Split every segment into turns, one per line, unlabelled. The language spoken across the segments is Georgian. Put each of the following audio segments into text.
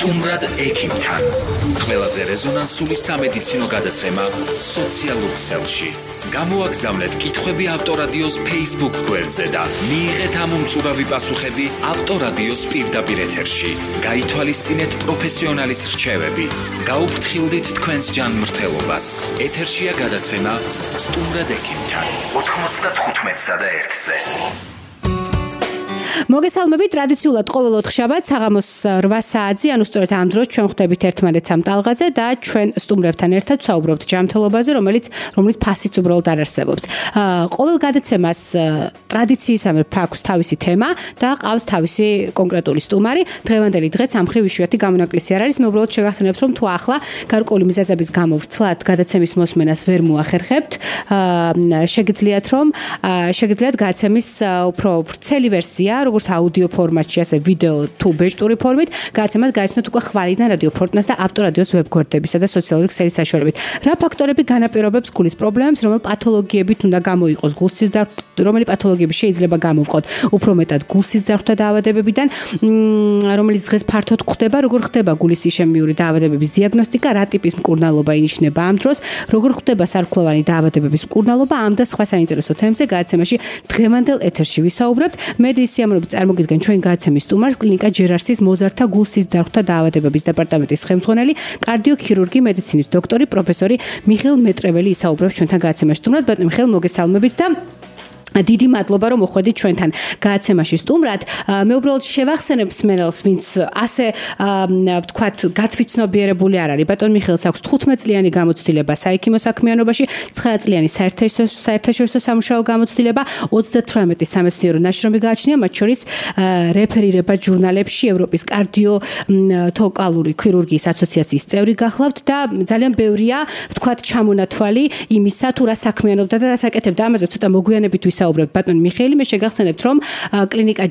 სტუმრად ექიმთან. ყველაზე რეზონანსული სამედიცინო გადაცემა სოციალურ ქსელში. გამოაგზავნეთ კითხვები ავტორადიოს Facebook გვერდზე და მიიღეთ ამ უმწურავი პასუხები ავტორადიოს პირდაპირ ეთერში. გაითვალისწინეთ პროფესიონალის რჩევები. გაუფრთხილდით თქვენს ჯანმრთელობას. ეთერშია გადაცემა სტუმრად ექიმთან. 95-სა და 1-ზე.
მოგესალმებით, ტრადიციულად ყოველ ოთხშაბათს საღამოს 8 საათზე, ანუ სწორედ ამ დროს ჩვენ ხვდებით ერთმანეთს ამ ტალღაზე და ჩვენ სტუმრებთან ერთად ვსაუბრობთ ჯანმრთელობაზე, რომელიც ფასიც უბრალოდ არ არსებობს. ყოველ გადაცემას ტრადიციისამებრ აქვს თავისი თემა და ყავს თავისი კონკრეტული სტუმარი. დღევანდელი დღეც ამ მხრივ იშვიათი გამონაკლისი არ არის. მე უბრალოდ შევახსენებთ, რომ თუ ახლა გარკვეული მიზეზების გამო ვრცლად გადაცემის მოსმენას ვერ მოახერხებთ, შეგიძლიათ გადაცემის უფრო ვრცელი ვერსია, როგორც აუდიო ფორმატში, ასე ვიდეო თუ ბეჭდური ფორმით, გადაცემას გაიცნოთ უკვე ხვალიდან რადიო ფორტნას და ავტორადიოს ვებგვერდებისა და სოციალური ქსელის საშუალებით. რა ფაქტორები განაპირობებს გულის პრობლემებს, რომელი პათოლოგიებით უნდა გამოიყოს გულსის ძარღვთა, რომელი პათოლოგიები შეიძლება გამოვყოთ უფრო მეტად გულსის ძარღვთა დაავადებებიდან, რომელიც დღეს ფართოდ გვხდება, როგორ ხდება გულის იშემიური დაავადებების დიაგნოსტიკა, რა ტიპის მკურნალობა ინიშნება ამ დროს, როგორ ხდება სარქლოვანი დაავადებების მკურნალობა, ამ და სხვა საინტერესო თემებზე გადაცემაში დღევანდელ ეთერში ვისაუბრებთ. მედიის სიამოვნებით წარმოგიდგენ ჩვენ გადაცემის სტუმარს, კლინიკა ჯერარსის მოზარდთა გულსის ძარღვთა დაავადებების დეპარტამენტის ხელმძღვანელი, კარდიოქირურგი, მედიცინის დოქტორი, პროფესორი მიხეილ მეტრეველი ისაუბრებს ჩვენთან გადაცემაში. სტუმრად, ბატონო მიხეილ, მოგესალმებით და დიდი მადლობა, რომ მოხვედით ჩვენთან გადაცემაში სტუმრად. მე უბრალოდ შევახსენებ მსმენელს, ვინც ასე ვთქვათ, გათვითცნობიერებული არ არის. ბატონ მიხეილს აქვს 15 წლიანი გამოცდილება საექიმო საქმიანობაში, 9 წლიანი საერთაშორისო სამუშაო გამოცდილება, 38 სამეცნიერო ნაშრომი გააჩნია, მათ შორის რეფერირება ჟურნალებში, ევროპის კარდიოტოკალური ქირურგიის ასოციაციის წევრი გახლავთ და ძალიან ბევრია, ვთქვათ, ჩამონათვალი იმისა, თუ რა საქმიანობდა და რა საკეთებდა. ამაზე ცოტა მოგვიანებით ვისაუბრებთ. ბატონო მიხეილი, მე შეგახსენებთ, რომ კლინიკა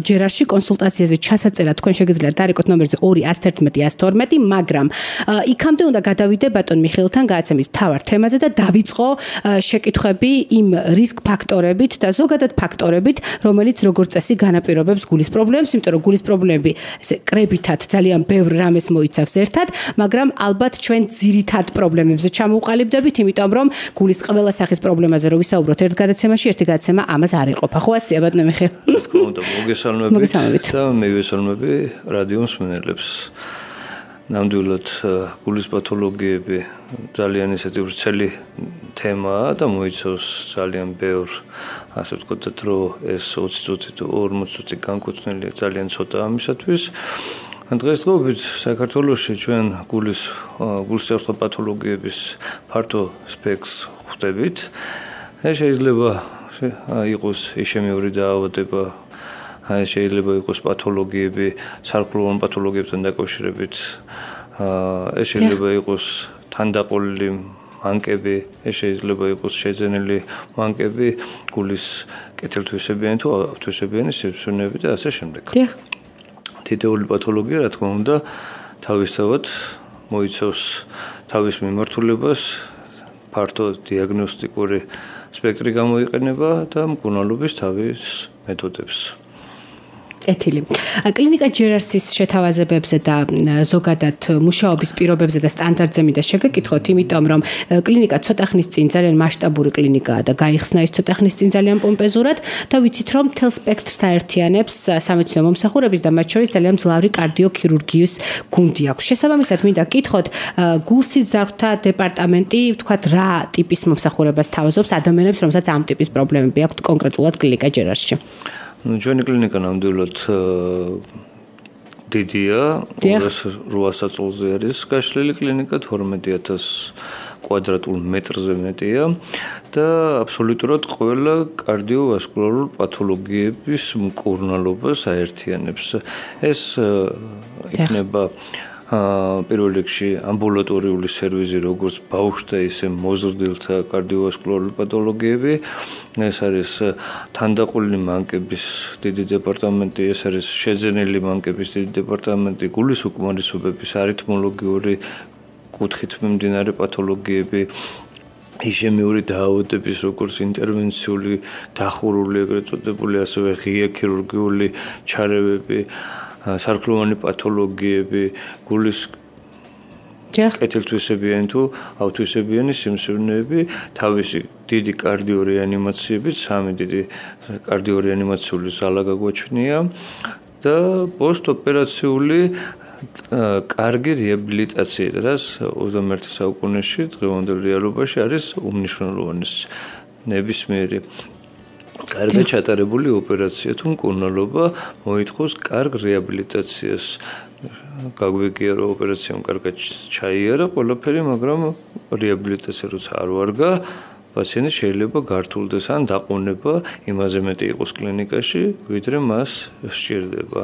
ჯერარში კონსულტაციაზე ჩასაწერა თქვენ შეგიძლიათ დარეკოთ ნომერზე 211-112, მაგრამ იქამდე უნდა გადავიდე ბატონ მიხეილთან გადაცემის მთავარ თემაზე და დავიწყო შეკითხვები იმ რისკ ფაქტორებით და ზოგადად ფაქტორებით, რომელიც როგორც წესი განაპირობებს გულის პრობლემებს, იმიტომ რომ გულის პრობლემები ესე კრებითად ძალიან ბევრ რამეს მოიცავს ერთად, მაგრამ ალბათ ჩვენ ძირითად პრობლემებზე ჩამოვყალიბდებით, იმიტომ რომ გულის ყველა სახის პრობლემაზე რო ვისაუბროთ ერთ გადაცემაში, ერთი გადაცემა ამას არ იყოფა. ხო ასეა ბატონო მიხეილ?
თქო უნდა მოგესალმებით და მე ვესალმები რადიო მსმენელებს. ნამდვილად გულის პათოლოგიები ძალიან ისეთი ვრცელი თემაა და მოიცავს ძალიან ბევრ, ასე ვთქვათ, რომ ეს 20 წუთი თუ 40 წუთი განკუთვნილია ძალიან ცოტა ამისათვის. დღესდღეობით საქართველოში ჩვენ გულსჯარღვთა პათოლოგიების ფართო სპექტრს ხვდებით. ეს შეიძლება იყოს იშემიური დაავადება, შეიძლება იყოს პათოლოგიები, სარქლოვანი პათოლოგიებთან დაკავშირებით, ეს შეიძლება იყოს თანდაყოლილი მანკები, ეს შეიძლება იყოს შეძენილი მანკები, გულის კეთილთვისებიანი თუ ავთვისებიანი სიბრძნეები და ასე შემდეგ. თითოეული პათოლოგია, რა თქმა უნდა, თავისთავად მოიცავს თავის მიმართულებას, ფართო დიაგნოსტიკური სპექტრი გამოიყენება და მკურნალობის თავის მეთოდებს.
კეთილი. კლინიკა ჯერარსის შეთავაზებებზე და ზოგადად მუშაობის პირობებზე და სტანდარტზე მინდა შეგეკითხოთ, იმიტომ რომ კლინიკა ცოტა ხნის წინ ძალიან მასშტაბური კლინიკაა და გაიხსნა ის ცოტა ხნის წინ ძალიან პომპეზურად და ვიცით რომ მთელ სპექტრს აერთიანებს სამეცნიერო მომსახურების და მათ შორის ძალიან მძლავრი კარდიოქირურგიის გუნდი აქვს. შესაბამისად მინდა გკითხოთ, გულსის ძარღვთა დეპარტამენტი, ვთქვათ, რა ტიპის მომსახურებას თავაზობს ადამიანებს, რომელსაც ამ ტიპის პრობლემები აქვთ კონკრეტულად კლინიკა ჯერარსში?
ჩვენი კლინიკა ნამდვილად დიდია, 800 წელზე არის გაშლილი კლინიკა, 12000 კვადრატულ მეტრზე მეტია და აბსოლუტურად ყველა კარდიოვასკულარულ პათოლოგიების მკურნალობას აერთიანებს. ეს იქნება პირველ რიგში ამბულატორიული სერვიზი, როგორც ბავშვთა, ისე მოზრდილთა კარდიოვასკულარული პათოლოგიები. ეს არის თანდაყოლილი მანკების დიდი დეპარტამენტი, ეს არის შეძენილი მანკების დიდი დეპარტამენტი, გულის უკმარისობების არითმოლოგიური კუთხით მიმდინარე პათოლოგიები, იშემიური დაავადების, როგორც ინტერვენციული, დახურული, ეგრეთ წოდებული, ასევე ღია ქირურგიული ჩარევები, სარქლოვანი პათოლოგიები, გულის კეთილთვისებიანი თუ ავთვისებიანი სიმსივნეები, თავისი დიდი კარდიორეანიმაციებით, 3 დიდი კარდიორეანიმაციული ზალა გაგვაჩნია და პოსტოპერაციული კარგი რეაბილიტაცია, რაც 21 საუკუნეში დღევანდელ რეალობაში არის უმნიშვნელოვანესი. ნებისმიერი კარგად ჩატარებული ოპერაცია თუ მკურნალობა მოითხოვს კარგ რეაბილიტაციას. გაგვიგია რომ ოპერაციამ კარგად ჩაიარა ყველაფერი, მაგრამ რეაბილიტაცია როცა არ ვარგა, პაციენტი შეიძლება გართულდეს ან დაყუნება იმაზე მეტი იყოს კლინიკაში, ვიდრე მას სჭირდება.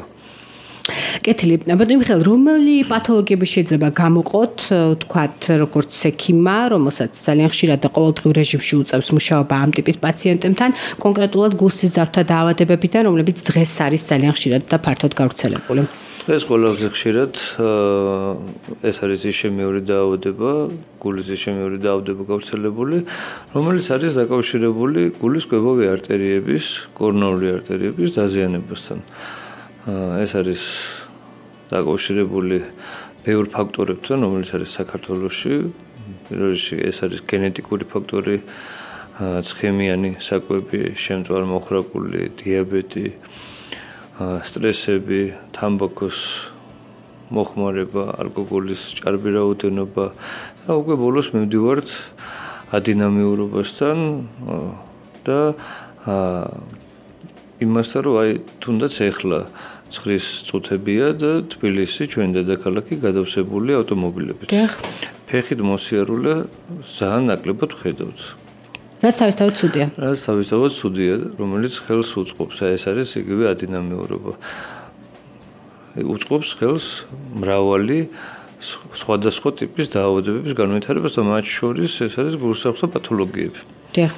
კეთილი. ბატონო მიხეილ, რომელი პათოლოგიები შეიძლება გამოყოთ, თქვათ, როგორც ექიმმა, რომელსაც ძალიან ხშირად და ყოველდღიურ რეჟიმში უწევს მუშაობა ამ ტიპის პაციენტებთან, კონკრეტულად გულსიზართა დაავადებებიდან, რომლებიც დღეს არის ძალიან ხშირად და ფართოდ გავრცელებული.
ეს ყველაზე ხშირად ეს არის იშემიური დაავადება, გულის იშემიური დაავადება გავრცელებული, რომელიც არის დაკავშირებული გულის კვებავი არტერიების, კორონარული არტერიების დაზიანებასთან. ეს არის დაკავშირებული ბევრ ფაქტორებთან, რომელიც არის საქართველოში. პირველ რიგში ეს არის გენეტიკური ფაქტორი, ცხიმიანი საკვები, შემწვარ-მოხრაკული, დიაბეტი, სტრესები, თამბაქოს მოხმარება, ალკოგოლის ჭარბი რაოდენობა და უკვე ბოლოს მივდივართ ადინამიურობასთან და იმასთან, რომ აი თუნდაც ეხლა ცხრის წუთებია და თბილისი ჩვენ დედაქალაქი გადავსებული ავტომობილებით. ფეხით მოსიარულე ძალიან ნაკლებად ვხედავთ.
რაც თავისთავად ცუდია.
რაც თავისთავად ცუდია, რომელიც ხელს უწყობს. ეს არის იგივე ადინამიურობა. უწყობს ხელს მრავალი სხვადასხვა ტიპის დაავადებების განვითარებას და მათ შორის ეს არის გულსახმელო პათოლოგიები.
დიახ.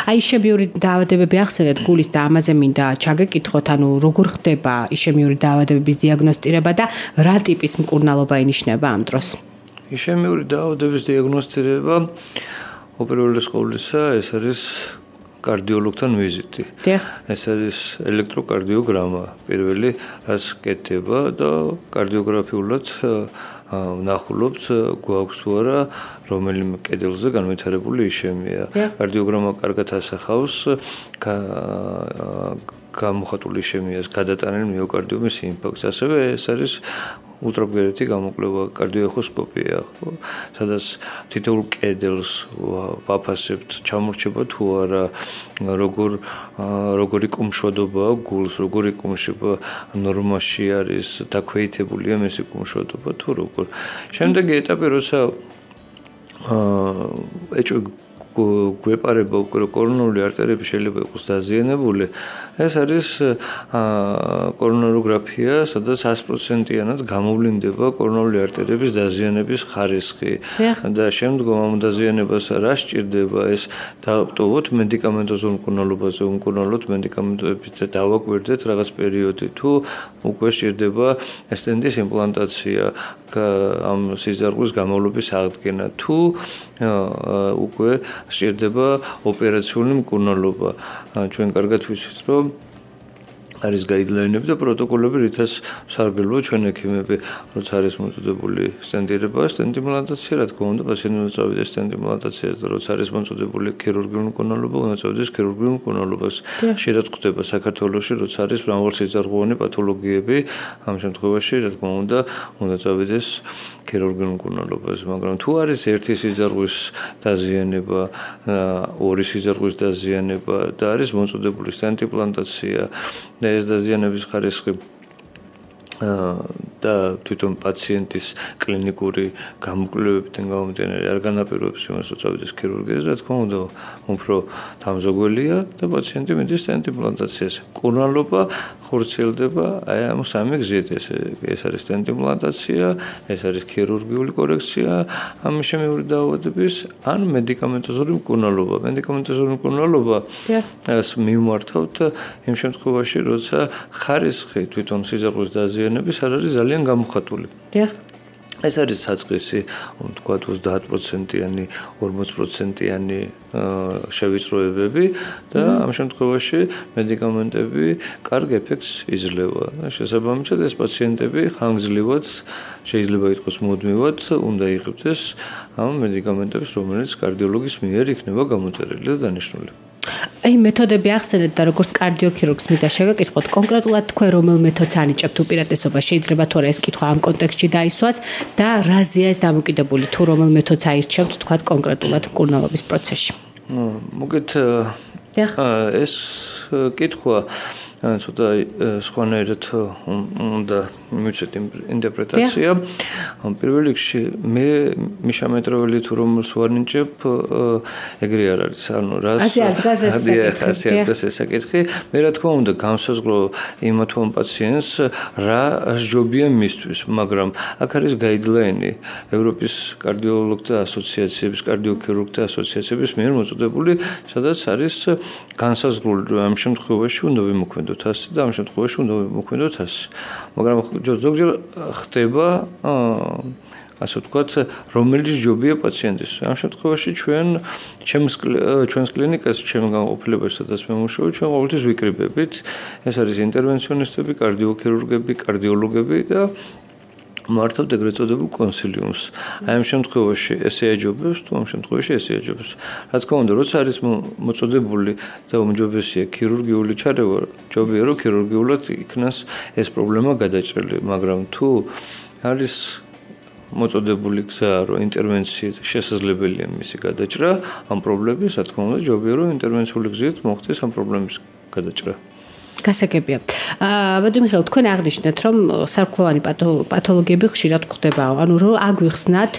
აი იშემიური დაავადებები ახსენეთ გულის და ამაზე მინდა ჩაგეკითხოთ, ანუ როგორ ხდება იშემიური დაავადებების დიაგნოსტირება და რა ტიპის მკურნალობა ინიშნება ამ დროს?
იშემიური დაავადების დიაგნოსტირება უპირველეს ყოვლისა ეს არის კარდიოლოგთან ვიზიტი. ეს არის ელექტროკარდიოგრამა, პირველი რაც კეთდება და კარდიოგრაფიულად ვნახულობთ გვაქვს თუ არა რომელიმე კედელზე განვითარებული იშემია. კარდიოგრამა კარგად ასახავს გამოხატული იშემიას გადატანილ მიოკარდიუმის ინფარქტს. ასევე ეს არის ультраგვერეთი გამოკვლევა, კარდიოეხოსკოპია, სადაც თითოეულ კედელს ვაფასებთ, ჩამორჩება თუ არა, როგორი კუმშვადობა გულს, როგორი კუმშობა ნორმაში არის, დაქვეითებულია მისი კუმშვადობა თუ როგორ. შემდეგი ეტაპი, როცა გვეპარება უკვე კორონარული არტერიები შეიძლება იყოს დაზიანებული, ეს არის კორონაროგრაფია, სადაც 100%-იანად გამოვლინდება კორონარული არტერიების დაზიანების ხარისხი და შემდგომ ამ დაზიანებას რა სჭირდება, ეს დავტოვოთ მედიკამენტოზურ მკურნალობაზე, უმკურნალოთ მედიკამენტებით და დავაკვირდეთ რაღაც პერიოდი, თუ უკვე სჭირდება სტენტის იმპლანტაცია, ამ სიზარღვის გამოვლობის აღდგენა, თუ უკვე სჭირდება ოპერაციული მკურნალობა. ჩვენ კარგად ვიცით, რომ არის გაიდლაინები და პროტოკოლები, რითაც სარგებლობა ჩვენ ექიმები, როცა არის მოწოდებული სტენტირება, სტენტ იმპლანტაცია, რა თქმა უნდა, პაციენტი უნდა წავიდეს სტენტ იმპლანტაციას და როცა არის მოწოდებული ქირურგიული მკურნალობა, უნდა წავიდეს ქირურგიულ მკურნალობას. შეიძლება ხდება საქართველოში, როცა არის მრავალსიზარღვოვანი პათოლოგიები, ამ შემთხვევაში, რა თქმა უნდა, უნდა წავიდეს ქირურგიულ მკურნალობას, მაგრამ თუ არის ერთი სიზარღვის დაზიანება, ორი სიზარღვის დაზიანება და არის მოწოდებული სტენტ იმპლანტაცია და ეს დაზიანების ხარისხი და თვითონ პაციენტის კლინიკური გამოკვლევებიდან გამომდინარე არ განაპირობებს იმას, რომ წავიდეს ქირურგიაზე, რა თქმა უნდა, უფრო დამზოგველია და პაციენტი მიდის სტენტ იმპლანტაციაზე. მკურნალობა ხორციელდება აი ამ სამი გზით. ეს არის სტენტ იმპლანტაცია, ეს არის ქირურგიული კორექცია ამ იშემიური დაავადების ან მედიკამენტოზური მკურნალობა. მედიკამენტოზური მკურნალობა ეს მივმართავთ იმ შემთხვევაში, როცა ხარისხი თვითონ სიზარღვის დაზიანების არ არის ძალიან გამოხატული. ეს არის საწყისი, თქვა 30%-იანი, 40%-იანი შევიწროებები და ამ შემთხვევაში მედიკამენტები კარგ ეფექტს იძლევა. შესაბამისად, ეს პაციენტები ხანგრძლივად შეიძლება ითქვას მუდმივად უნდა იღებდეს ამ მედიკამენტებს, რომელიც კარდიოლოგის მიერ იქნება გამოწერილი და დანიშნული.
აი მეთოდები ახსენეთ და როგორც კარდიოქირურგს მინდა შეგაკითხოთ კონკრეტულად თქვენ რომელ მეთოდს ანიჭებთ უპირატესობას შეიძლება თორე ეს კითხვა ამ კონტექსტში დაისვას და რაზეა ეს დამოკიდებული თუ რომელ მეთოდს აირჩევთ თქვა კონკრეტულად მკურნალობის პროცესში
მოგეთ ეს კითხვა ცოტა სხვანაირად უნდა მივცეთ ინტერპრეტაცია. პირველ რიგში მე მიშამეტროველი თუ რომელს ვარნიჭებ ეგრე არ არის. ანუ რას ასე საკითხი. მე რა თქმა უნდა განსაზღვრო იმათვან პაციენტს რა ჯობია მისთვის, მაგრამ აქ არის გაიდლაინი ევროპის კარდიოლოგთა ასოციაციების, კარდიოქირურგთა ასოციაციების მიერ მოწოდებული, სადაც არის განსაზღვრული რომ ამ შემთხვევაში უნდა ვიმოქმედოთ ასე და ამ შემთხვევაში უნდა ვიმოქმედოთ ასე. მაგრამ ზოგჯერ ხდება ასე ვთქვათ, რომელიც ჯობია პაციენტის. ამ შემთხვევაში ჩვენს კლინიკაში, ჩვენ განყოფილებაში, სადაც მე მუშაობ, ჩვენ ყოველთვის ვიკრიბებით. ეს არის ინტერვენციონისტები, კარდიოქირურგები, კარდიოლოგები და მართავთ ეგრეთ წოდებულ კონსილიუმს. აი ამ შემთხვევაში ესე აჯობებს, თუ ამ შემთხვევაში ესე აჯობებს. რა თქმა უნდა, როცა არის მოწოდებული და უმჯობესია ქირურგიული ჩარევა, ჯობია რომ ქირურგიულად იქნას ეს პრობლემა გადაჭრილი, მაგრამ თუ არის მოწოდებული გზა, რომ ინტერვენციით შესაძლებელია მისი გადაჭრა, ამ პრობლემის, რა თქმა უნდა, ჯობია რომ ინტერვენციული გზით მოხდეს ამ პრობლემის გადაჭრა.
გასაგებია. ბატონო მიხეილ, თქვენ აღნიშნეთ, რომ სარქლოვანი პათოლოგიები ხშირად გვხდებაო. ანუ რომ აგვიხსნათ,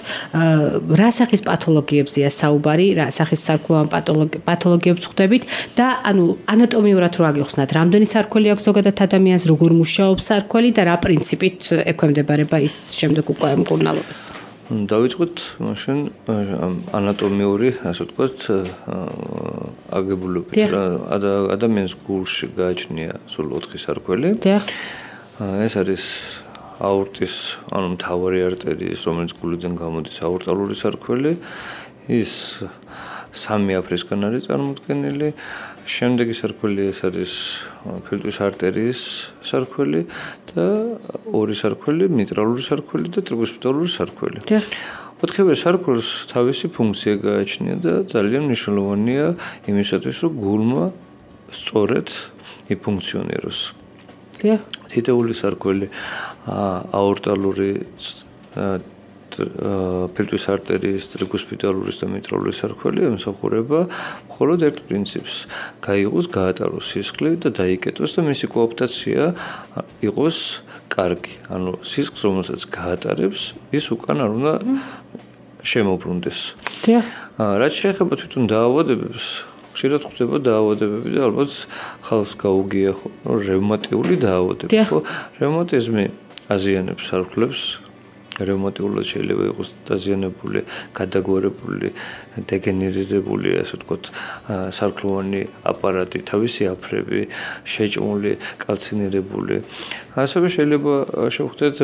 რა სახის პათოლოგიებზეა საუბარი, რა სახის სარქლოვან პათოლოგიებს ხვდებით და ანუ ანატომიურად რო აგიხსნათ, რამდენი სარქველი აქვს ზოგადად ადამიანს, როგორ მუშაობს სარქველი და რა პრინციპით ექვემდებარება ის შემდეგ უკვე მკურნალობას.
დავიწყოთ მაშინ ანატომიური, ასე ვთქვათ, აგებულებით. ადამიანის გულში გააჩნია სულ 4 სარქველი. ეს არის აორტის, ანუ მთავარი არტერიის, რომელიც გულიდან გამოდის აორტალური სარქველი. ის 3 აფრისგან არის წარმოდგენილი. შემდეგი სარქველი ეს არის ფილტვის არტერიის სარქველი და 2 სარქველი, მიტრალური სარქველი და ტრიგოსპიტალური სარქველი. 4 სარქველს თავისი ფუნქცია გააჩნია და ძალიან მნიშვნელოვანია იმისათვის, რომ გულმა სწორედ იფუნქციონიროს. თითოეული სარქველი აორტალური ფილტვის არტერიის, ტრიგოსპიტალურის და მიტრალური სარქველი ემსახურება მხოლოდ ერთ პრინციპს: გაიღოს, გაატაროს სისხლი და დაიკეტოს და მისი კოოპტაცია იყოს კარგი. ანუ სისხლს, რომელსაც გაატარებს, ის უკან არ უნდა შემოbrunდეს. რაც შეეხება თვითონ დაავადებებს, ხშირად ხდება დაავადებები და ალბათ ხალხს გაუგია რევმატიული დაავადებები. რევმატიზმი აზიანებს სარქლებს. რევმატიულად შეიძლება იყოს დაზიანებული, გადაგვარებული, დეგენერირებული, ასე ვთქვათ, სარქლოვანი აპარატი, თავისი აფრები, შეჭმული, კალცინირებული. ასევე შეიძლება შევხვდეთ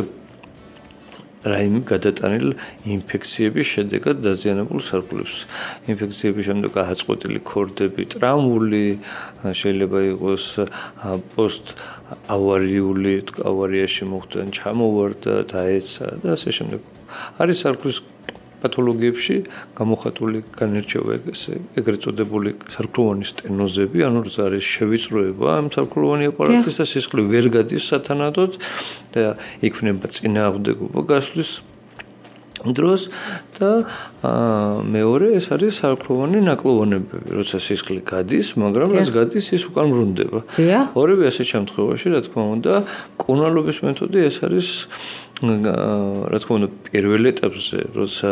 რაიმე გადატანილ ინფექციების შედეგად დაზიანებულ სარქლებს. ინფექციების შემდეგ აღწყვეტილი ქორდები, ტრამული, შეიძლება იყოს პოსტ ავარიული, ავარიაში მოხდა, ჩამოვარდა, დაეცა და ასე შემდეგ. არის სარქლის პათოლოგიებში გამოხატული განირჩევა ეგრეთ წოდებული სარქლოვანი სტენოზები, ანუ ეს არის შევიწროება ამ სარქლოვანი აპარატის და სისხლი ვერ გადის სათანადოდ და იქნება წინააღმდეგობა გასვლის დროს და მეორე ეს არის სარქლოვანი ნაკლოვანებები, როცა სისხლი გადის, მაგრამ რაც გადის ის უკან ბრუნდება. ორივე ასეთ შემთხვევაში, რა თქმა უნდა, მკურნალობის მეთოდი ეს არის რა თქმა უნდა პირველ ეტაპზე, როცა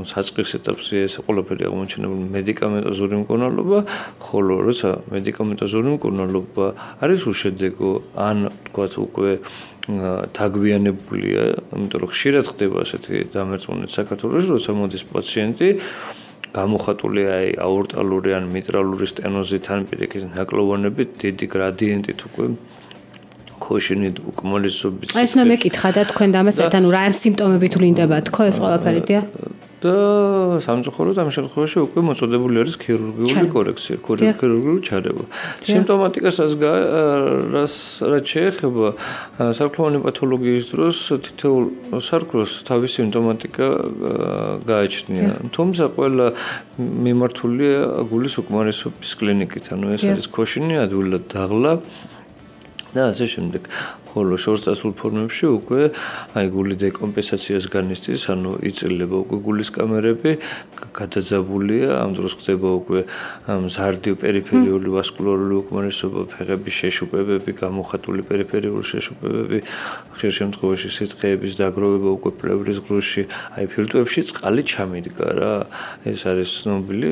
საწყის ეტაპზე ეს ყველაფერი აღმოჩენებული მედიკამენტოზური მკურნალობა, ხოლო როცა მედიკამენტოზური მკურნალობა არის უშედეგო, ან თქვათ უკვე დაგვიანებულია, იმიტომ რომ ხშირად ხდება ასეთი დამერწმუნებით საქართველოში, როცა მოდის პაციენტი გამოხატულია აორტალური ან მიტრალური სტენოზით ან პირიქით ნაკლოვანებით, დიდი გრადიენტით უკვე ქოშინი უკმოლესობის
ეს ნუ მეკითხა და თქვენ და ამასაც ანუ რა ამ სიმპტომები თუ ლინდება თქო ეს ყველაფერია
და სამწუხაროდ ამ შემთხვევაში უკვე მოწოდებული არის ქირურგიული კორექცია, ქირურგიული ჩარევა. სიმპტომატიკასაც რაც შეეხება სარკმლოვანი პათოლოგიის დროს თითოეულ სარკმელს თავისი სიმპტომატიკა გააჩნია. თუმცა ყველა მიმართულია გულის უკმარისობის კლინიკით, ანუ ეს არის ქოშინი, ადვილად დაღლა და ასე შემდეგ. ხოლო შორსწასულ ფორმებში უკვე აი გული დეკომპენსაციას განიცდის, ანუ იწილება უკვე გულის კამერები, გადაძაბულია, ამ დროს ხდება უკვე მზარდი პერიფერიული ვასკულარული უკმარისობა, ფეხების შეშუპებები, გამოხატული პერიფერიული შეშუპებები, ხშირ შემთხვევაში სიცხეების დაგროვება უკვე პლევრის ღრუში, აი ფილტვებში წყალი ჩამიდგა რა. ეს არის ცნობილი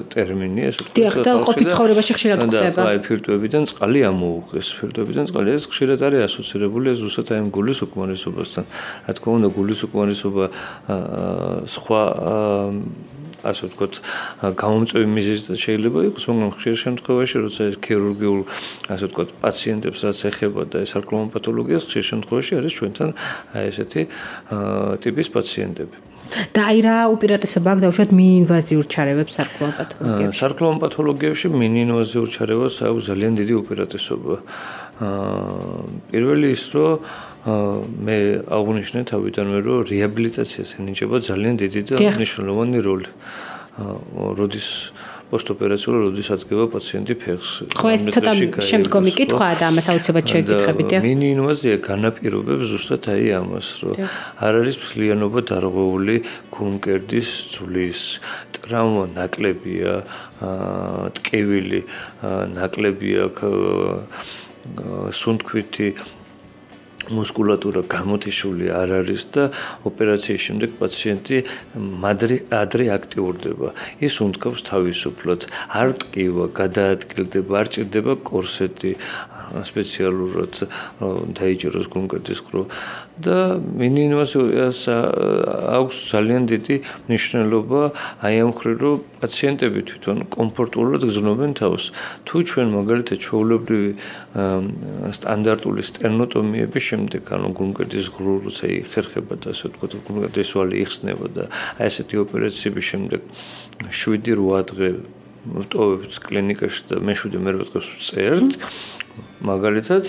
ტერმინი, ეს
დიახ, და ყოფილი ცხოვრებაში ხშირად ხდება.
და აი ფილტვებიდან წყალი ამოუღეს, ფილტვებიდან წყალი ეს ხშირად ასოცირებულია ზუსტად აი გულის უკმარისობასთან. რა თქმა უნდა, გულის უკმარისობა სხვა ასე ვთქვათ, გამომწვევი მიზეზით შეიძლება იყოს, მაგრამ ხშირ შემთხვევაში, როცა ეს ქირურგიულ ასე ვთქვათ, პაციენტებსაც ეხება და ეს სარკმლოვან პათოლოგიას, ხშირ შემთხვევაში არის ჩვენთან აი ესეთი ტიპის პაციენტები.
და აი რა უპირატესობა აქვს დაუშვათ მინინვაზიურ ჩარევებს სარკმლოვან პათოლოგიებში?
სარკმლოვან პათოლოგიებში მინინვაზიურ ჩარევას აქვს ძალიან დიდი უპირატესობა. პირველი ის, რომ მე აღვნიშნე თავიდანვე, რომ რეაბილიტაციას ენიჭება ძალიან დიდი და მნიშვნელოვანი როლი. როდის პოსტოპერაციულად როდის ადგენა პაციენტი ფეხს.
ხო, ეს ცოტა შემდგომი კითხვაა და ამას აუცილებლად შეგეკითხებით.
მინინვაზია განაპირობებს ზუსტად აი ამას, რომ არ არის ფლიანობა დარღვეული გულმკერდის ძვლის, ტრავმა ნაკლებია, ტკივილი ნაკლებია, სუნთქვითი მუსკულატურა გამოთიშული არ არის და ოპერაციის შემდეგ პაციენტი ადრე აქტიურდება. ის უნთქავს თავისუფლად, არ ტკივა, გადაადგილდება, არ ჭირდება კორსეტი, სპეციალურად დაიჭეროს გულმკერდის ღრუ და მინინვაზიას აქვს ძალიან დიდი მნიშვნელობა აი ამ მხრივ, რომ პაციენტები თვითონ კომფორტულად გრძნობენ თავს. თუ ჩვენ მაგალითად ჩვეულებრივი სტანდარტული სტერნოტომიების შემდეგ, ანუ გულმკერდის ღრუ როცა იხერხება და ასე ვთქვათ, გულმკერდის ვალი იხსნება და აი ესეთი ოპერაციების შემდეგ 7-8 დღე ვტოვებთ კლინიკაში და მე-7 მე-8 დღეს ვწერთ. მაგალითად,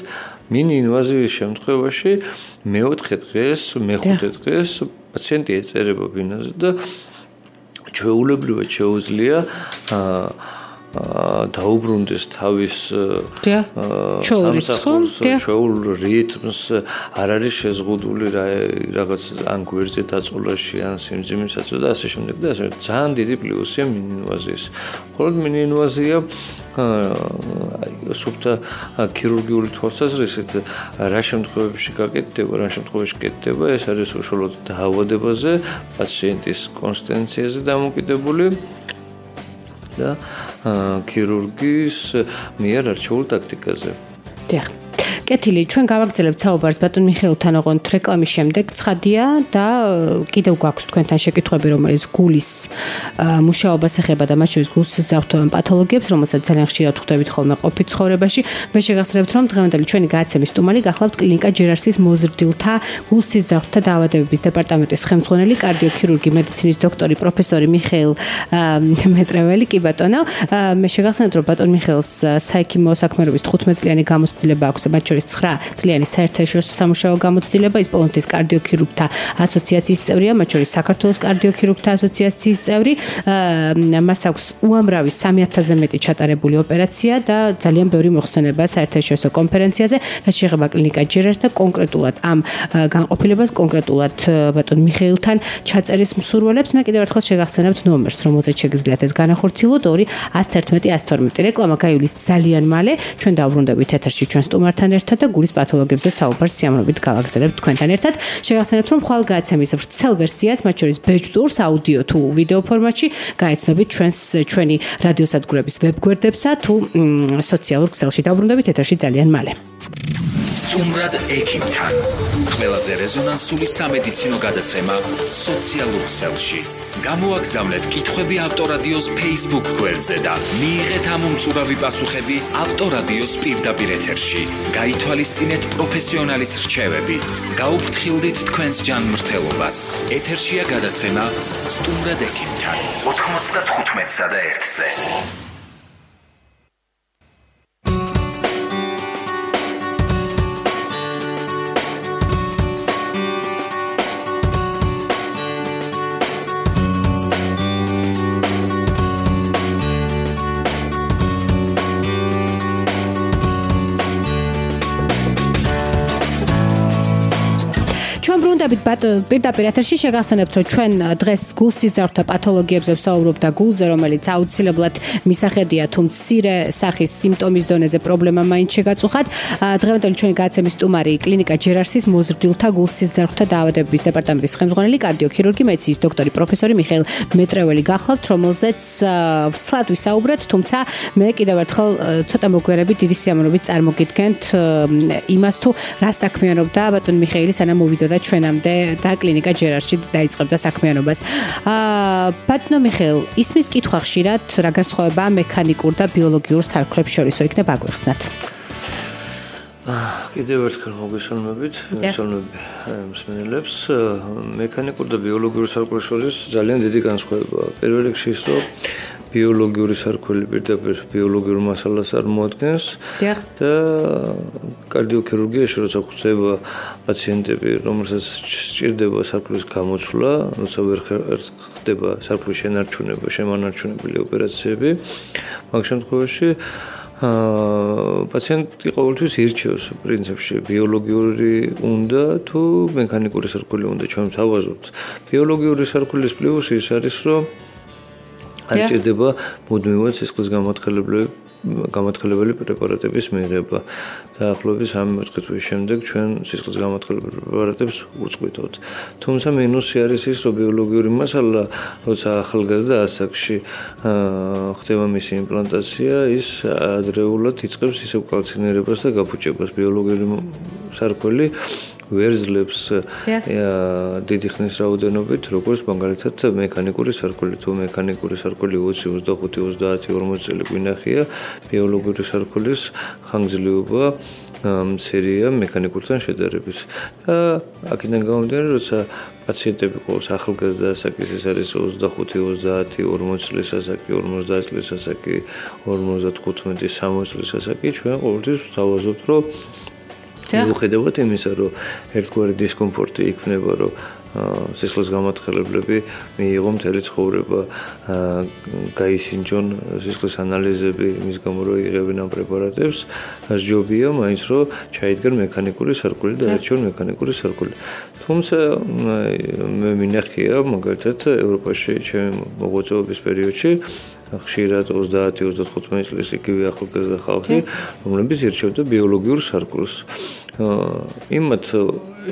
მინინვაზიის შემთხვევაში მე-4 დღეს, მე-5 დღეს პაციენტი ეწერება ბინაზე და ჩვეულებრივად შეუძლია დაუბრუნდეს თავის ჩვეულ რიტმს, არ არის შეზღუდული რაღაც ან გვერდზე დაწოლაში, ან სიმძიმისაცო და ასე შემდეგ და ასე ძალიან დიდი პლუსია მინინვაზიის. მხოლოდ მინინვაზია სუფთა ქირურგიული თვალსაზრისით რა შემთხვევებში გაკეთდება, რა შემთხვევაში კეთდება, ეს არის უშუალოდ დაავადებაზე, პაციენტის კონსტანციაზე დამოკიდებული და ქირურგის მიერ არჩეულ ტაქტიკაზე.
დიახ. კეთილი, ჩვენ გავაგრძელებთ საუბარს ბატონ მიხეილთან ოღონდ რეკლამის შემდეგ. ცხადია და კიდევ გვაქვს თქვენთან შეკითხვები, რომელიც გულის მუშაობას ეხება და მათ შორის გულსიზრდოვან პათოლოგიებს, რომელსაც ძალიან ხშირად ხვდებით ხოლმე ყოფით ცხოვრებაში. მე შეგახსენებთ, რომ დღევანდელი ჩვენი გადაცემის სტუმარი გახლავთ კლინიკა ჯერარსის მოზრდილთა გულსიზრდოთა დაავადებების დეპარტამენტის ხელმძღვანელი, კარდიოქირურგი, მედიცინის დოქტორი, პროფესორი მიხეილ მეტრეველი. კი ბატონო, მე შეგახსენებთ, რომ ბატონ მიხეილს საექიმო საქმიანობის 15 წლიანი გამოცდილება აქვს, მათ შორის 9 წლიანი საერთაშორისო სამუშაო გამოცდილება, ის პოლონეთის კარდიოქირურგთა ასოციაციის წევრია, მათ შორის საქართველოს კარდიოქირურგთა ასოციაციის წევრი. მას აქვს უამრავი 3000-ზე მეტი ჩატარებული ოპერაცია და ძალიან ბევრი მოხსენება საერთაშორისო კონფერენციაზე, რაც შეეხება კლინიკა ჯერარს და კონკრეტულად ამ განყოფილებას, კონკრეტულად ბატონ მიხეილთან ჩაწერის მსურველებს. მე კიდევ ერთხელ შეგახსენებთ ნომერს, რომელზეც შეგიძლიათ ეს განახორციელოთ 2-111-112. რეკლამა გაივლის ძალიან მალე. ჩვენ დავბრუნდებით ეთერში ჩვენ სტუმართან ერთად და გულის პათოლოგიებზე საუბარს სიამოვნებით გავაგრძელებთ თქვენთან ერთად. შეგახსენებთ, რომ ხვალ გადაცემის ვრცელ ვერსიას, მათ შორის ბეჭდურს, აუდიო თუ ვიდეო ფორმატში გაეცნობით ჩვენი რადიოსადგურების ვებგვერდებსა თუ სოციალურ ქსელში. დავბრუნდებით ეთერში ძალიან მალე.
სტუმრად ექიმთან. ყველაზე რეზონანსული სამედიცინო გადაცემა სოციალურ ქსელში. გამოაგზავნეთ კითხვები ავტორადიოს Facebook გვერდზე და მიიღეთ ამ უმწურავი პასუხები ავტორადიოს პირდაპირ ეთერში. გაითვალისწინეთ პროფესიონალის რჩევები. გაუფრთხილდით თქვენს ჯანმრთელობას. ეთერშია გადაცემა სტუმრად ექიმთან 95-სა და 1-ზე.
პირდაპირ ეთერში შეგახსენებთ, რომ ჩვენ დღეს გულსიძარღვთა პათოლოგიებზე ვსაუბრობთ და გულზე, რომელიც აუცილებლად მისახედია, თუ მცირე სახის სიმპტომის დონეზე პრობლემა მაინც შეგაწუხათ. დღევანდელი ჩვენი გადაცემის სტუმარი კლინიკა ჯერარსის მოზრდილთა გულსიძარღვთა დაავადებების დეპარტამენტის ხელმძღვანელი კარდიოქირურგი, მედიცინის დოქტორი პროფესორი მიხეილ მეტრეველი გახლავთ, რომელზეც ვრცლად ვისაუბრეთ, თუმცა მე კიდევ ერთხელ ცოტა მოგვიარებით დიდი სიამოვნებით წარმოგიდგენთ იმას, თუ რა საქმიანობდა ბატონ მიხეილი, სანამ მოვიდოდა ჩვენამდე და კლინიკა ჯერარში დაიწყებდა საქმიანობას. ბატონო მიხეილ, ისმის კითხვა ხშირად, რა განსხვავებაა მექანიკურ და ბიოლოგიურ სარქლებს შორისო, იქნებ აგვიხსნათ.
კიდევ ერთხელ მოგესალმებით, მესალმები მსმენელებს. მექანიკურ და ბიოლოგიურ სარქლებს შორის ძალიან დიდი განსხვავებაა. პირველ რიგში ის, რომ ბიოლოგიური სარქველი პირდაპირ ბიოლოგიურ მასალას არ მოადგენს და კარდიოქირურგიაში როცა ხვდება პაციენტები, რომელსაც სჭირდება სარქლის გამოცვლა, როცა ვერ ხდება სარქლის შენარჩუნება, შემანარჩუნებელი ოპერაციები, მაგ შემთხვევაში პაციენტი ყოველთვის ირჩევს პრინციპში ბიოლოგიური უნდა თუ მექანიკური სარქველი უნდა. ჩვენ ვთავაზობთ ბიოლოგიური სარქველის პლუსი ის არის, რომ არ ჭირდება მუდმივად სისხლის გამათხელებელი პრეპარატების მიღება. დაახლოებით 3-4 თვის შემდეგ ჩვენ სისხლის გამათხელებელი პრეპარატებს უწყვეტავთ. თუმცა მინუსი არის ის, რომ ბიოლოგიური მასალა, როცა ახალგაზრდა ასაკში ხდება მისი იმპლანტაცია, ის ადრეულად იწყებს ისევ კალცინირებას და გაფუჭებას. ბიოლოგიური სარქველი ვერძლებს დიდი ხნის რაოდენობით, როგორც მაგალითად მექანიკური სარქველი. თუ მექანიკური სარქველი 20, 25, 30, 40 წელი გვინახია, ბიოლოგიური სარქველის ხანგრძლივობა მცირეა მექანიკურთან შედარებით. და აქედან გამომდინარე, როცა პაციენტები ყავს ახალგაზრდა ასაკის, ეს არის 25, 30, 40 წლის ასაკი, 50 წლის ასაკი, 55, 60 წლის ასაკი, ჩვენ ყოველთვის ვთავაზობთ, რომ მიუხედავად იმისა, რომ ერთგვარი დისკომფორტი იქნება, რომ სისხლის გამათხელებლები მიიღო მთელი ცხოვრება, გაისინჯონ სისხლის ანალიზები, იმის გამო რომ იღებენ ამ პრეპარატებს, ჯობია მაინც რომ ჩაიდგან მექანიკური სარკველი და ერჩიონ მექანიკური სარკველი. თუმცა მე მინახია მაგალითად ევროპაში ჩემი მოღვაწეობის პერიოდში ხშირად 30-35 წლის იგივე ახალგაზრდა ხალხი, რომლებიც ირჩევდა ბიოლოგიურ სარკვლს. იმათ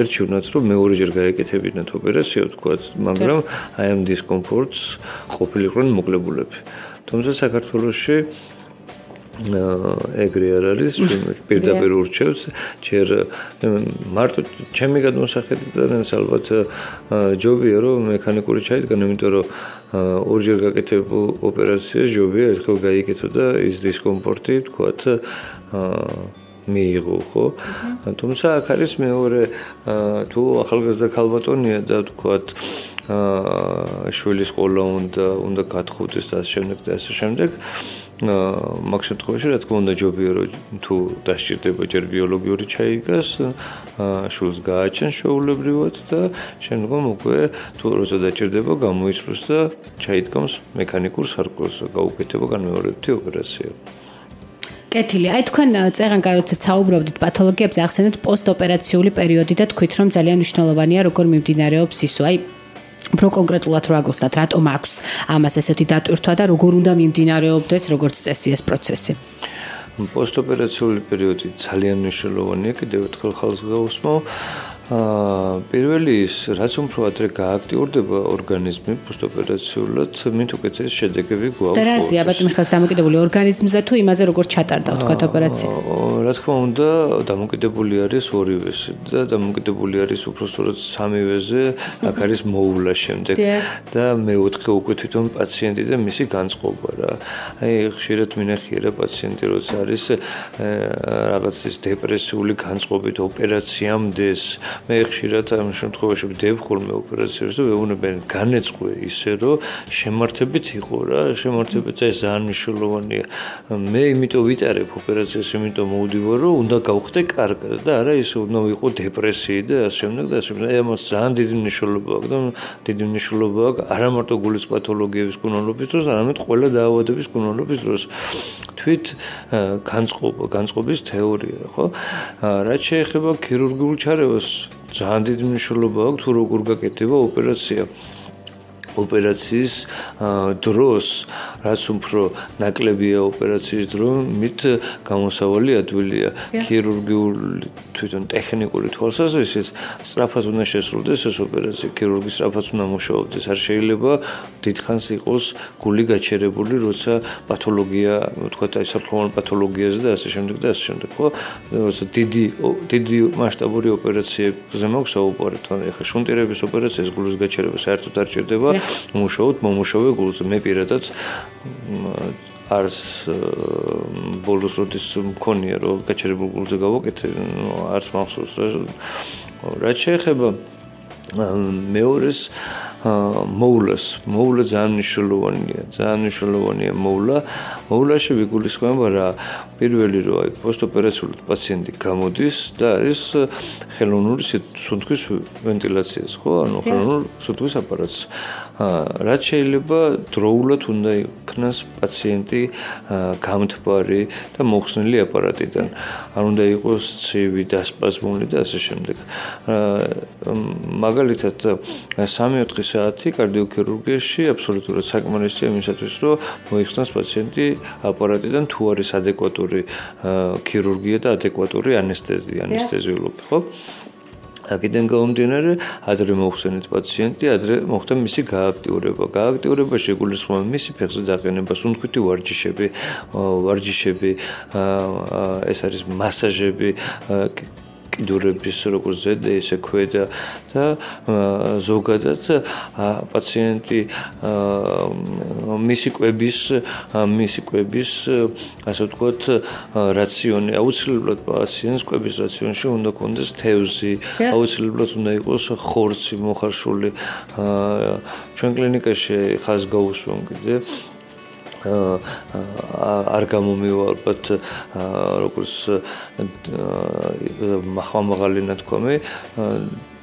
ერჩივნათ, რომ მეორეჯერ გაეკეთებინათ ოპერაცია, თქვათ, მაგრამ აი ამ დისკომფორტს ყოფილიყვნენ მოკლებულები. თუმცა საქართველოში ეგრე არ არის, პირდაპირ ურჩევს, ჯერ მარტო ჩემი გადმოსახედიდან ალბათ ჯობია რომ მექანიკური ჩაიდგან, იმიტომ რომ ორჯერ გაკეთებულ ოპერაციას ჯობია ერთხელ გაიკეთო და ის დისკომფორტი, თქვათ, მიიღო, ხო? თუმცა აქ არის მეორე, თუ ახალგაზრდა ქალბატონია და თქვათ შვილის ყოლა უნდა გათხოვდეს და ასე შემდეგ მაგ შემთხვევაში რა თქმა უნდა ჯობია რომ თუ დასჭირდება ჯერ ბიოლოგიური ჩაიგას, შულს გააჩენს შეულებრივად და შემდგომ უკვე თუ როცა დაჭირდება გამოიწვევს და ჩაიდგამს მექანიკურ სარკვლს, გაუკეთება განმეორებითი ოპერაცია.
კეთილი, აი თქვენ წეღანკარ როცა საუბრობდით პათოლოგიებზე, ახსენეთ პოსტოპერაციული პერიოდი და თქვით რომ ძალიან მნიშვნელოვანია როგორ მიმდინარეობს ისო, აი უფრო კონკრეტულად რა გოსტათ, რატომ აქვს ამას ესეთი დატვირთვა და როგორ უნდა მიმდინარეობდეს როგორც წესი ეს პროცესი?
პოსტოპერაციული პერიოდი ძალიან მნიშვნელოვანია, კიდევ ერთხელ ხალხს გავუსმო. პირველი ის, რაც უფრო ადრე გააქტიურდება ორგანიზმი პოსტოპერაციულად, მით უკეთეს შედეგები გვაქვს.
და რაზეა ბატონო ხალხს დამოკიდებული ორგანიზმზე თუ იმაზე როგორ ჩატარდა თქვა ოპერაცია?
რა თქმა უნდა, დამოკიდებული არის ორივეზე და დამოკიდებული არის უბრალოდ სამივეზე, აქ არის მოუვლა შემდეგ და მეოთხე უკვე თვითონ პაციენტი და მისი განწყობა რა. აი ხშირად მინახია რა პაციენტი როცა არის რაღაც ის დეპრესიული განწყობით ოპერაციამდეს მე ხშირად ამ შემთხვევაში ვდებ ხოლმე ოპერაციებს და ვეუბნებიან განეწყვე ისე რომ შემართებით იყო რა შემართებით ეს ძალიან მნიშვნელოვანია მე იმიტომ ვიტარებ ოპერაციას იმიტომ მოვდივარ რომ უნდა გავხდე კარგად და არა ისე უნდა ვიყო დეპრესიი და ასე შემდეგ და ასე შემდეგ ამას ძალიან დიდი მნიშვნელობა აქვს და დიდი მნიშვნელობა აქვს არა მარტო გულის პათოლოგიების კუნალობის დროს არამედ ყველა დაავადების კუნალობის დროს თვით განწყობის თეორია ხო რაც შეეხება ქირურგიულ ჩარევას ძალიან დიდი მნიშვნელობა აქვს თუ როგორ გაკეთდება ოპერაციის დროს რაც უფრო ნაკლებია ოპერაციის დრო მით გამოსავალი ადვილია ქირურგიული თვითონ ტექნიკური თვალსაზრისით სწრაფად უნდა შესრულდეს ეს ოპერაცია ქირურგი სწრაფად უნდა მუშაობდეს არ შეიძლება დიდხანს იყოს გული გაჩერებული როცა პათოლოგია ვთქვათ აი სარკმოვანი პათოლოგიაზე და ასე შემდეგ და ასე შემდეგ ხო როცა დიდი მასშტაბური ოპერაციებზე მაქვს საუბარი თან ეხლა შუნტირების ოპერაციას გულის გაჩერება საერთოდ არ ჭირდება მუშაობთ მომუშავე გულზე მე პირადად არს ბოლოს როდის მქონია რომ გაჩერებულ გულზე გავაკეთე არც მახსოვს რა შეეხება მეორეს მოვლა ძალიან მნიშვნელოვანია მოვლაში ვიგულისხმება რა პირველი რომ აი პოსტოპერაციულად პაციენტი გამოდის და არის ხელოვნური სუნთქვის ვენტილაციას ხო ანუ ხელოვნური სუნთქვის აპარატს რაც შეიძლება დროულად უნდა იქნას პაციენტი გამთბარი და მოხსნილი აპარატიდან არ უნდა იყოს ცივი დასპაზმული და ასე შემდეგ მაგალითად 3-4 საათი კარდიოქირურგიაში აბსოლუტურად საკმარისია იმისათვის რომ მოიხსნას პაციენტი აპარატიდან თუ არის ადეკვატური ქირურგია და ადეკვატური ანესთეზიოლოგი ხო აქედან გამომდინარე ადრე მოხსენეთ პაციენტი ადრე მოხდა მისი გააქტიურება შეგულისხმება მისი ფეხზე დაყენება სუნთქვითი ვარჯიშები ეს არის მასაჟები კიდურების როგორც ზედა ისე ქვედა და ზოგადად პაციენტი მისი კვების ასე ვთქვათ რაციონი აუცილებლად პაციენტს კვების რაციონში უნდა კონდეს თევზი აუცილებლად უნდა იყოს ხორცი მოხარშული ჩვენ კლინიკაში ხაზ გაუსვამ კიდე არ გამომივალბათ როგორც მაღალი ნათქვამი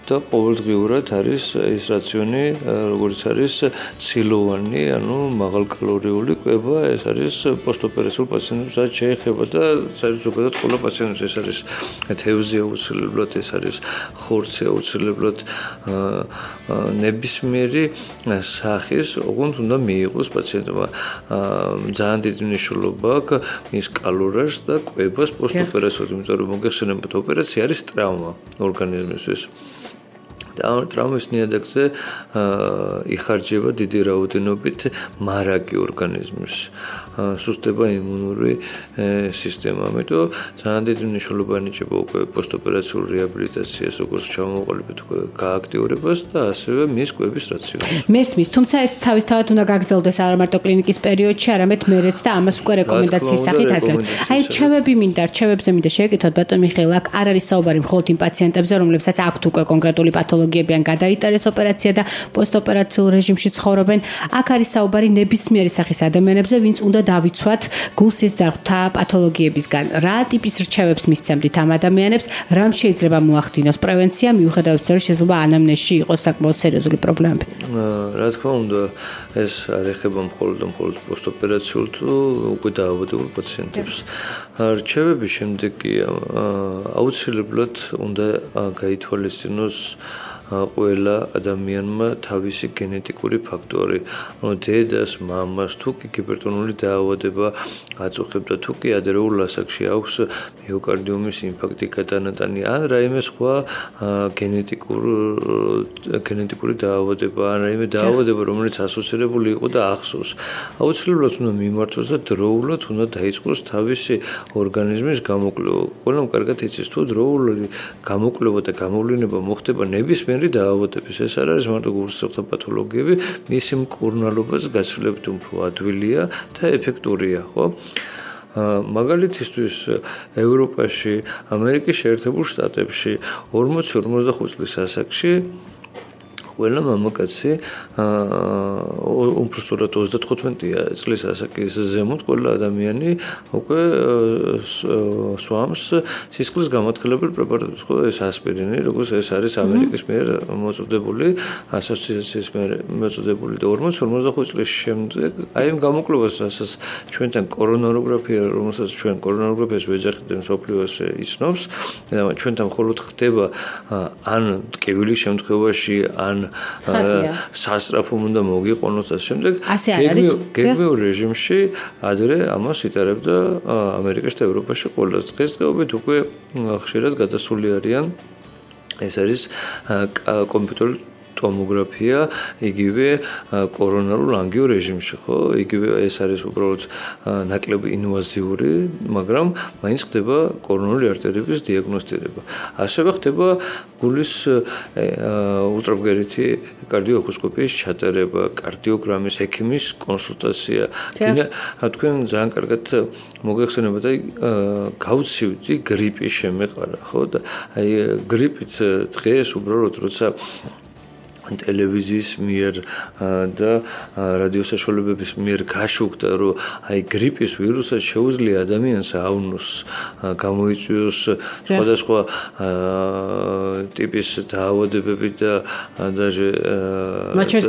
და ყოველდღიურად არის ეს რაციონი როგორც არის ცილოვანი ანუ მაღალკალორიული კვება ეს არის პოსტოპერაციულ პაციენტებს შეეხება და ზოგადად ყველა პაციენტს ეს არის თევზი აუცილებლად ეს არის ხორცი აუცილებლად ნებისმიერი სახის ოღონდ უნდა მიიღოს პაციენტმა ძალიან დიდი მნიშვნელობა აქვს მის კალორიას და კვებას პოსტოპერაციულად იმიტომ რომ მოგეხსენებათ ოპერაცია არის ტრავმა ორგანიზმისთვის ტრავმის ნიადაგზე იხარჯება დიდი რაოდენობით მარაგი ორგანიზმის სუსტდება იმუნური სისტემა ამიტომ ძალიან დიდი მნიშვნელობა ანიჭება უკვე პოსტოპერაციულ რეაბილიტაციას როგორც ჩამოყალიბეთ გააქტიურებას და ასევე მის კვების რაციონს
მესმის თუმცა ეს თავისთავად უნდა გაგრძელდეს არა მარტო კლინიკის პერიოდში არამედ მერეც და ამას უკვე რეკომენდაციის სახით აძლევთ აი რჩევებზე მინდა შეგეკითხოთ ბატონ მიხეილ აქ არ არის საუბარი მხოლოდ იმ პაციენტებზე რომლებსაც აქვთ უკვე კონკრეტული პათოლოგიები ან გადაიტარეს ოპერაცია და პოსტოპერაციულ რეჟიმში ცხოვრობენ აქ არის საუბარი ნებისმიერი სახის ადამიანებზე ვინც უნდა დავიცვათ გულსის ძარღვთა პათოლოგიებისგან რა ტიპის რჩევებს მისცემთ ამ ადამიანებს რამ შეიძლება მოახდინოს პრევენცია მიუხედავად იმისა რომ შეიძლება ანამნეზში იყოს საკმაოდ სერიოზული პრობლემები
რა თქმა უნდა ეს არ ეხება მხოლოდ პოსტოპერაციულ თუ უკვე დაავადებულ პაციენტებს რჩევების შემდეგ კი აუცილებლად უნდა გაითვალისწინოს ყველა ადამიანმა თავისი გენეტიკური ფაქტორი. დედას, მამას თუ კი ჰიპერტონული დაავადება აწუხებდა, თუ კი ადრეულ ასაკში აქვს მიოკარდიუმის ინფარქტი გადანატანი, ან რაიმე სხვა გენეტიკური დაავადება, ან რაიმე დაავადება, რომელიც ასოცირებული იყო და ახსოვს. აუცილებლად უნდა მიმართოს და დროულად უნდა დაიწყოს თავისი ორგანიზმის გამოკვლევა. ყველამ კარგად იცის, თუ დროული გამოკვლევა და გამოვლინება მოხდება ნებისმიერი დაავადების. ეს არ არის მარტო გულსხმთა პათოლოგიები, მისი მკურნალობაც გაცილებით უფრო ადვილია და ეფექტურია, ხო? მაგალითისთვის ევროპაში, ამერიკის შეერთებულ შტატებში 40-45 წლის ასაკში ყველა მამაკაცი უბრალოდ 35 წლის ასაკის ზემოთ ყველა ადამიანი უკვე სვამს სისხლის გამოთხელებელ პრეპარატებს, ხო, ეს ასპირინი, როგორც ეს არის ამერიკის მიერ მოწოდებული ასოციაციის მიერ მოწოდებული და 40-45 წლის შემდეგ აი ამ გამოკვლევას, რასაც ჩვენთან კორონაროგრაფია, რომელსაც ჩვენ კორონაროგრაფიას ვეძახით მსოფლიოს იცნობს, ჩვენთან მხოლოდ ხდება ან ტკივილის შემთხვევაში, ან სასწრაფო უნდა მოგიყონოს ამ შემდეგ გეგმიურ რეჟიმში ადრე ამას იტარებდა ამერიკაში და ევროპაში ყველა დღესდღეობით უკვე ხშირად გადასული არიან ეს არის კომპიუტერული ტომოგრაფია იგივე კორონარულ ანგიო რეჟიმში ხო იგივე ეს არის უბრალოდ ნაკლები ინვაზიური მაგრამ მაინც ხდება კორონარული არტერიების დიაგნოსტირება ასევე ხდება გულის ულტრაბგერითი კარდიოხოსკოპიის ჩატარება კარდიოგრამის ექიმის კონსულტაცია თქვენ ძალიან კარგად მოგეხსენებათ აი გავცივდი გრიპის შემეყარა ხო და აი გრიპით დღეს უბრალოდ როცა ტელევიზიის მიერ და რადიო საშუალებების მიერ გაშუქდა რომ აი გრიპის ვირუსად შეუძლია ადამიანს ავნოს გამოიწვიოს სხვადასხვა ტიპის დაავადებები და დაჟე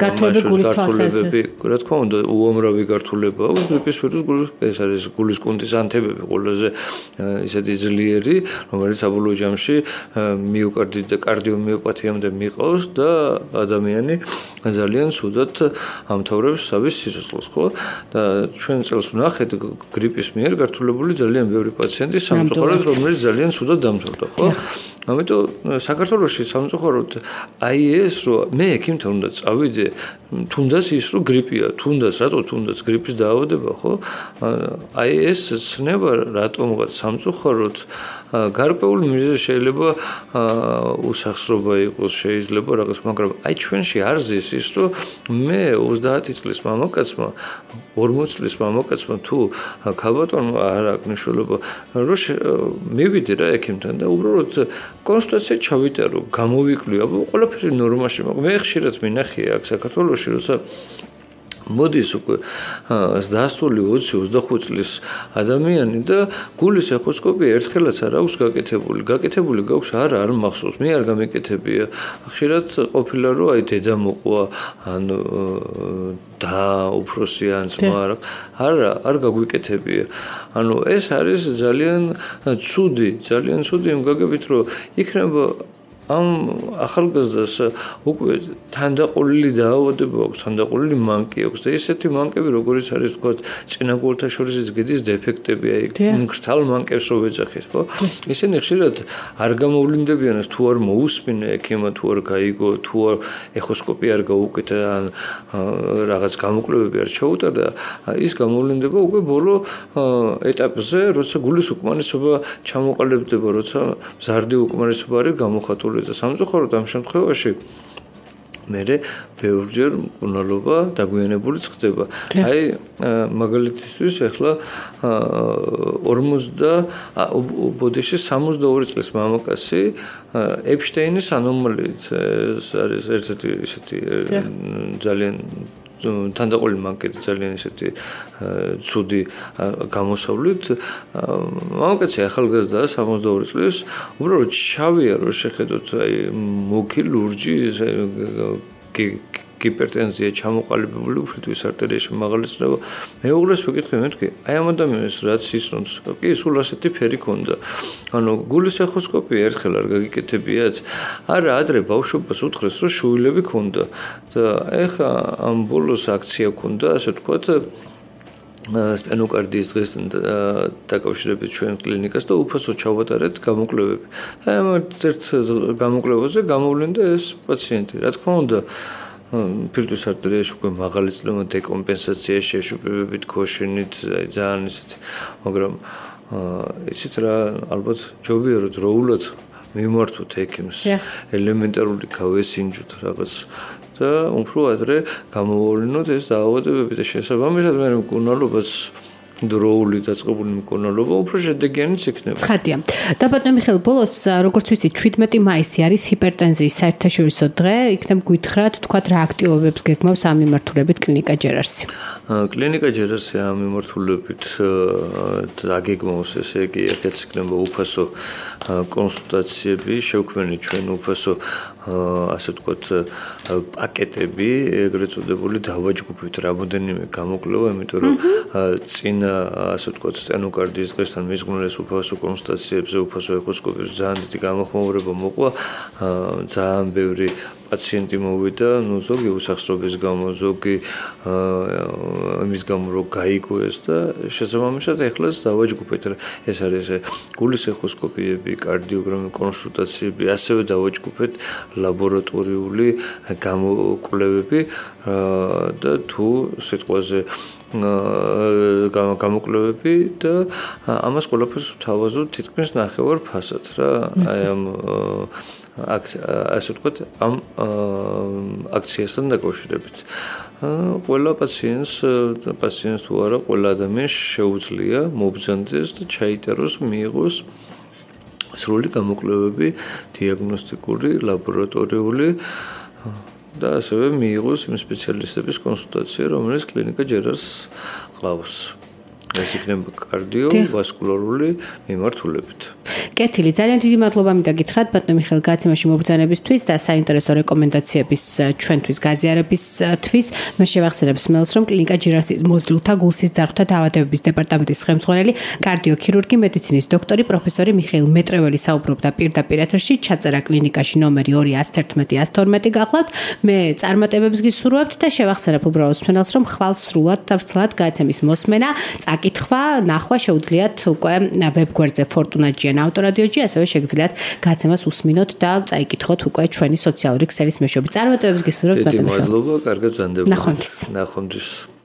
გართულებები რა თქმა უნდა უამრავი გართულება აქვს გრიპის ვირუს ეს არის გულის კუნთის ანთებები ყველაზე ისეთი ძლიერი რომელიც საბოლოო ჯამში მიოკარდიტ და კარდიომიოპათიამდე მიყავს და ადამიანი ძალიან ცუდად ამთავრებს თავის სიცოცხლეს, ხო? და ჩვენ წელს ვნახეთ გრიპის მიერ გართულებული ძალიან ბევრი პაციენტი სამწუხაროდ, რომელიც ძალიან ცუდად დამთავრდა, ხო? ამიტომ საქართველოში სამწუხაროდ აი ეს რომ მე ექიმთან უნდა წავიდე, თუნდაც ის რომ გრიპია, თუნდაც რატო თუნდაც გრიპის დაავადება, ხო? აი ეს ცნება რატომღაც სამწუხაროდ გარკვეული მიზეზი შეიძლება უსახსრობა იყოს, შეიძლება რაღაც, მაგრამ აი ჩვენში არ ზის ის, რომ მე 30 წლის მამაკაცმა, 40 წლის მამაკაცმა თუ ქალბატონმა არ აქვს მნიშვნელობა, რომ მივიდე რა ექიმთან და უბრალოდ კონსულტაცია ჩავიტარო, გამოვიკლი, აბა ყველაფერი ნორმაში, მაგრამ მე ხშირად მინახია აქ საქართველოში, როცა მოდის უკვე დასული 20-25 წლის ადამიანი და გულის ეხოსკოპია ერთხელაც არ აქვს გაკეთებული გაქვს არ მახსოვს მე არ გამეკეთებია ხშირად ყოფილა რომ აი დედა მოყვა ან და უფროსი ან ძმა არ გაგვიკეთებია ანუ ეს არის ძალიან ცუდი იმ გაგებით რომ იქნება ამ ახალგაზრდას უკვე თანდაყოლილი დაავადება აქვს, თანდაყოლილი მანკი აქვს და ესეთი მანკები როგორიც არის თქვა წინაგულთა შორის გედის დეფექტები, აი მკრთალ მანკებს რო ვეძახით, ხო? ისინი ხშირად არ გამოვლინდებიან თუ არ მოусმინე ექიმა, თუ არ გაიგო, თუ არ ეხოსკოპია არ გაუკეთა ან რაღაც გამოკვლევები არ ჩაუტარდა, ის გამოვლინდება უკვე ბოლო ეტაპზე, როცა გულის უკმარისობა ჩამოყალიბდება, როცა მზარდი უკმარისობა არის გამოხატული და სამწუხაროდ ამ შემთხვევაში მერე ბევრჯერ მკურნალობა დაგვიანებულიც ხდება. აი მაგალითისთვის ახლა 62 წლის მამაკაცი ეპშტეინის ანომალიით არის ერთ-ერთი ისეთი ძალიან თანდაყოლილი მანკეთი ძალიან ისეთი ცუდი გამოსავლით მამაკაცი ახალგაზრდაა 62 წლის უბრალოდ შავია რომ შეხედოთ აი მუქი ლურჯი ჰიპერტენზია ჩამოყალიბებული უფლიტვის არტერიაში მაღალი წნევა. მეუღლეს ვეკითხე მეთქი, აი ამ ადამიანს რაც ისრონს, კი სულ ასეთი ფერი ქონდა. ანუ გულის ეხოსკოპია ერთხელ არ გაგიკეთებიათ? არა, ადრე ბავშვობას უთხრეს, რომ შუილები ქონდა და ეხა ამ ბოლოს აქცია ქონდა, ასე ვთქვათ, სტენოკარდიის დღესთან დაკავშირებით ჩვენ კლინიკას და უფასო ჩავატარეთ გამოკვლევები. აი ამ ერთ გამოკვლევაზე გამოვლინდა ეს პაციენტი. რა თქმა უნდა, ფილტვის არტერიაში უკვე მაღალი წნევა დეკომპენსაცია შეშუპებებით, ქოშინით, აი ძალიან ისეთი, მაგრამ ისიც რა ალბათ ჯობია რომ დროულად მიმართოთ ექიმს, ელემენტარული გავესინჯოთ რაღაც და უფრო ადრე გამოვავლინოთ ეს დაავადებები და შესაბამისად მე მკურნალობაც დროული დაწყებული მკურნალობა უფრო შედეგიანიც იქნება.
ცხადია. და ბატონო მიხეილ, ბოლოს როგორც ვიცით 17 მაისი არის ჰიპერტენზიის საერთაშორისო დღე, იქნებ გითხრათ, თქვათ რა აქტივობებს გეგმავს ამ მიმართულებით კლინიკა ჯერარსი.
კლინიკა ჯერარსი ამ მიმართულებით დაგეგმავს, ესე იგი, ერთ იქნება უფასო კონსულტაციები, შევქმნით ჩვენ უფასო ასე ვთქვათ პაკეტები, ეგრეთ წოდებული დავაჯგუფებთ რამოდენიმე გამოკვლევა, იმიტომ რომ წინა ასე ვთქვათ სტენოკარდიის დღესთან მიზღვნილეს უფასო კონსულტაციებზე, უფასო ეხოსკოპიებზე ძალიან დიდი გამოხმაურება მოყვა, ძალიან ბევრი პაციენტი მოვიდა, ну ზოგი უსახსრობის გამო, ზოგი იმის გამო რომ გაიგოეს და შესაბამისად ეხლაც დავაჯგუფეთ. ეს არის გულის ეხოსკოპიები, კარდიოგრამი, კონსულტაციები, ასევე დავაჯგუფეთ ლაბორატორიული გამოკვლევები და თუ სიტყვაზე გამოკვლევები და ამას ყველაფერს ვთავაზობ თითქმის ნახევარ ფასად რა. აი ამ ასე ვთქვათ, ამ აქციასთან დაკავშირებით. ყველა პაციენტს თუ არა, ყველა ადამიანს შეუძლია მობრძანდეს და ჩაიტეროს, მიიღოს სრული გამოკვლევები, დიაგნოსტიკური, ლაბორატორიული და ასევე მიიღოს იმ სპეციალისტების კონსულტაცია, რომელიც კლინიკა ჯერარს ყავს. ეს იქნება კარდიოვასკულარული მიმართულებით.
კეთილი, ძალიან დიდი მადლობა მინდა გითხრათ ბატონო მიხეილ გაცემაში მობრძანებისთვის და საინტერესო რეკომენდაციების ჩვენთვის გაზიარებისთვის. მე შევახსენებ სმელს, რომ კლინიკა ჯერარსის მოზრდილთა გულსის ძარღვთა დაავადებების დეპარტამენტის ხელმძღვანელი, კარდიოქირურგი, მედიცინის დოქტორი, პროფესორი მიხეილ მეტრეველი საუბრობდა პირდაპირ ეთერში, ჩაწერა კლინიკაში ნომერი 211-112 გახლავთ. მე წარმატებებს გისურვებთ და შევახსენებ უბრალოდ სმელს, რომ ხვალ სრულად და ვრცლად გაცემის მოსმენა, წაკითხვა, ნახვა შეუძლიათ უკვე ვებგვერდზე Fortuna-GN ავტორადიოჯი, ასევე შეგიძლიათ გაცემას უსმინოთ და წაიკითხოთ უკვე ჩვენი სოციალური ქსელის მეშვეობით. წარმატებებს გისურვებთ ბატონო.
დიდი მადლობა, კარგად ზანდებოდეთ.
ნახვამდის.
ნახვამდის.